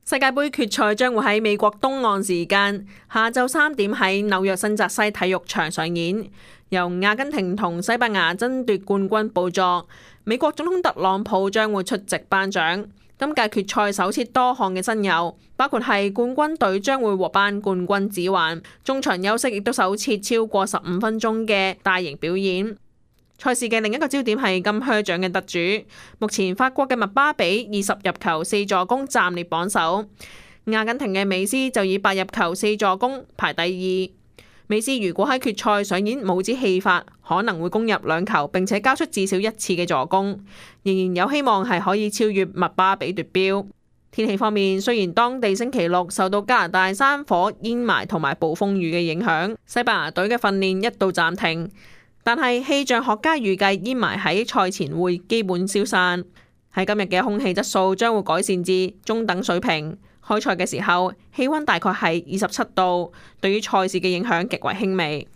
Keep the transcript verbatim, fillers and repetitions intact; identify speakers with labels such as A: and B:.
A: 世界盃決賽將會喺美國東岸時間下晝三點喺紐約新澤西體育場上演，由阿根廷同西班牙爭奪冠軍寶座。美國總統特朗普將會出席頒獎。今屆決賽首設多項嘅新猷，包括係冠軍隊將會獲頒冠軍指環，中場休息亦都首設超過十五分鐘嘅大型表演。賽事嘅另一個焦點係金靴獎嘅得主，目前法國嘅麥巴比二十入球四助攻暫列榜首，阿根廷嘅美斯就以八入球四助攻排第二。美斯如果喺決賽上演帽子戲法，可能會攻入兩球，並且交出至少一次嘅助攻，仍然有希望係可以超越麥巴比奪標。天氣方面，雖然當地星期六受到加拿大山火、煙霾同埋暴風雨嘅影響，西班牙隊嘅訓練一度暫停。但係氣象學家預計煙霾喺賽前會基本消散，喺今日嘅空氣質素將會改善至中等水平。開賽嘅時候氣溫大概係二十七度，對於賽事嘅影響極為輕微。